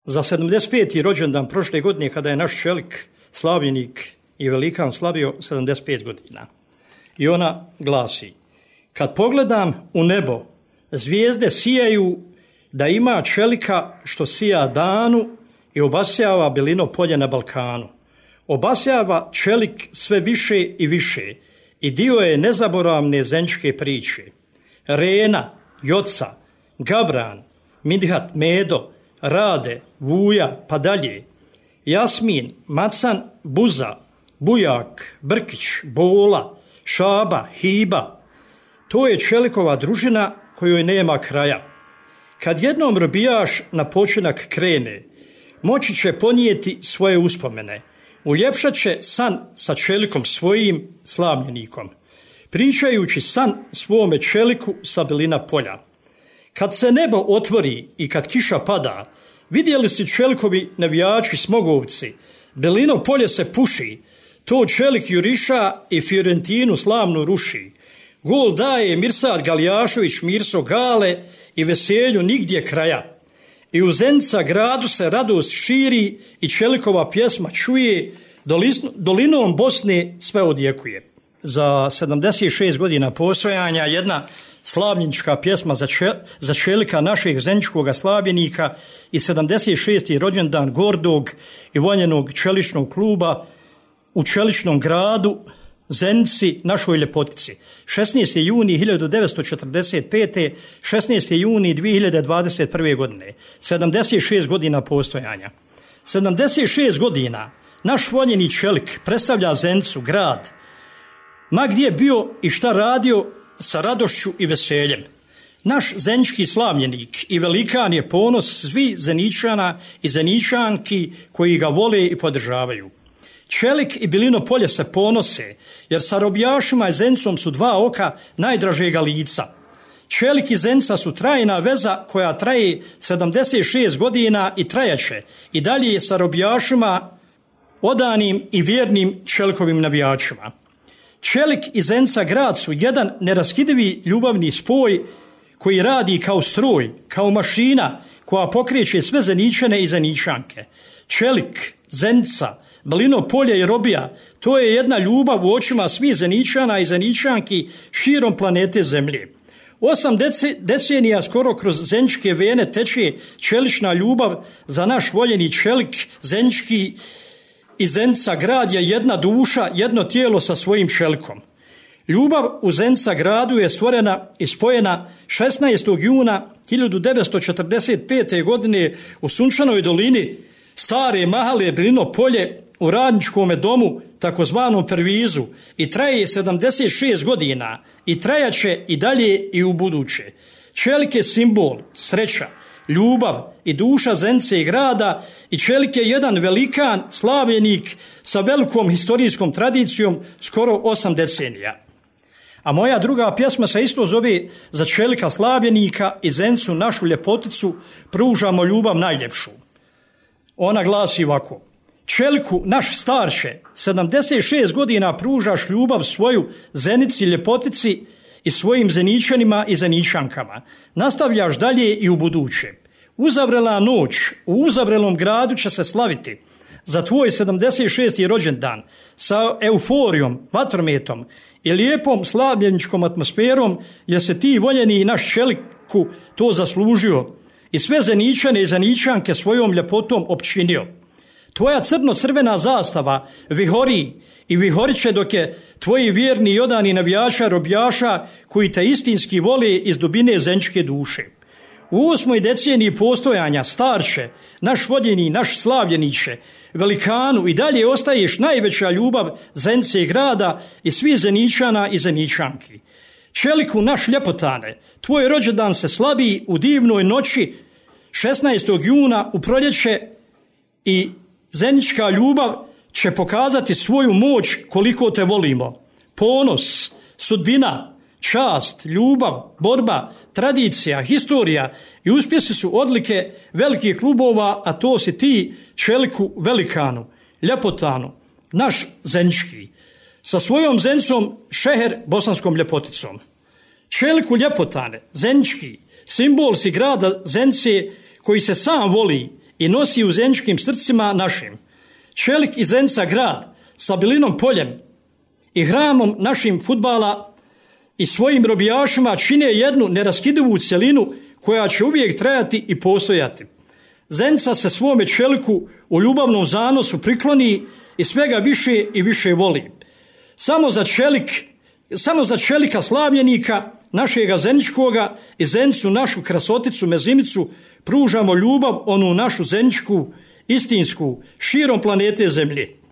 Za 75. rođendan prošle godine, kada je naš čelik, slavljenik i velikan slavio 75 godina. I ona glasi: kad pogledam u nebo, zvijezde sijaju da ima čelika što sija danu i obasjava belino polje na Balkanu. Obasjava čelik sve više i više i dio je nezaboravne zenčke priče. Rena, Joca, Gabran, Midhat, Medo, Rade, Vuja, pa dalje. Jasmin, Macan, Buza, Bujak, Brkić, Bola, Šaba, Hiba. To je čelikova družina kojoj nema kraja. Kad jednom robijaš na počinak krene, moći će ponijeti svoje uspomene. Uljepšat će san sa čelikom svojim slavljenikom, pričajući san svome čeliku sa belina polja. Kad se nebo otvori i kad kiša pada, vidjeli su čelikovi navijači smogovci, belino polje se puši, to čelik juriša i Fiorentinu slavnu ruši. Gol daje Mirsad Galjašović Mirso Gale i veselju nigdje kraja. I u Zenica gradu se radost širi i čelikova pjesma čuje, dolinom Bosne sve odjekuje. Za 76 godina postojanja jedna slavljenička pjesma za čelika našeg zeničkog slavljenika i 76. rođendan gordog i voljenog čeličnog kluba u čeličnom gradu Zenici, našoj ljepotici. 16. juni 1945. 16. juni 2021. godine. 76 godina postojanja. 76 godina naš voljeni čelik predstavlja Zenicu, grad, ma gdje bio i šta radio, sa radošću i veseljem. Naš zenički slavljenik i velikan je ponos svi Zeničana i Zeničanki koji ga vole i podržavaju. Čelik i belino polje se ponose, jer sa robijašima i Zenicom su dva oka najdražega lica. Čelik i Zenica su trajna veza koja traje 76 godina i trajaće i dalje sa robijašima, odanim i vjernim čelikovim navijačima. Čelik i Zenica grad su jedan neraskidivi ljubavni spoj koji radi kao stroj, kao mašina koja pokreće sve Zeničane i Zeničanke. Čelik, Zenica, belino polje i robija, to je jedna ljubav u očima svih Zeničana i Zeničanki širom planete Zemlje. 8 decenija skoro kroz zeničke vene teče čelična ljubav za naš voljeni čelik, zenički i Zenica grad je jedna duša, jedno tijelo sa svojim čelikom. Ljubav u Zenica gradu je stvorena i spojena 16. juna 1945. godine u sunčanoj dolini Stare Mahale belino polje u radničkom domu, takozvanom Pervizu, i traje 76 godina i trajaće i dalje i u buduće. Čelik je simbol, sreća, ljubav i duša Zenice i grada i čelik je jedan velikan slavljenik sa velikom historijskom tradicijom skoro 8 decenija. A moja druga pjesma se isto zove za čelika slavljenika i Zenicu našu ljepoticu pružamo ljubav najljepšu. Ona glasi ovako: čeliku naš starče, 76 godina pružaš ljubav svoju Zenici ljepotici i svojim Zeničanima i Zeničankama. Nastavljaš dalje i u buduće. Uzavrela noć u uzavrelom gradu će se slaviti za tvoj 76. rođendan sa euforijom, vatrometom i lijepom slavljeničkom atmosferom, jer se ti voljeni i naš čeliku to zaslužio i sve Zeničane i Zeničanke svojom ljepotom opčinio. Tvoja crno-crvena zastava vihori i vihorit će dok je tvoji vjerni i odani navijača robijaša koji te istinski vole iz dubine zeničke duše. U 8. deceniji postojanja starče, naš voljeni, naš slavljeniče, velikanu i dalje ostaješ najveća ljubav Zenice i grada i svih Zeničana i Zeničanki. Čeliku naš ljepotane, tvoj rođendan se slavi u divnoj noći 16. juna u proljeće i zenička ljubav će pokazati svoju moć koliko te volimo. Ponos, sudbina, čast, ljubav, borba, tradicija, historija i uspjesi su odlike velikih klubova, a to si ti, čeliku velikanu, ljepotanu, naš zenički, sa svojom Zenicom šeher bosanskom ljepoticom. Čeliku ljepotane, zenički, simbol si grada Zenice koji se sam voli i nosi u zeničkim srcima našim. Čelik i Zenica grad sa Bilinom poljem i hramom našim fudbala i svojim robijašima čine jednu neraskidivu cjelinu koja će uvijek trajati i postojati. Zenica se svome Čeliku u ljubavnom zanosu prikloni i svega više i više voli. Samo za Čelika slavljenika, našega zeničkoga i Zenicu našu krasoticu Mezimicu pružamo ljubav, onu našu zeničku, istinsku, širom planete Zemlje.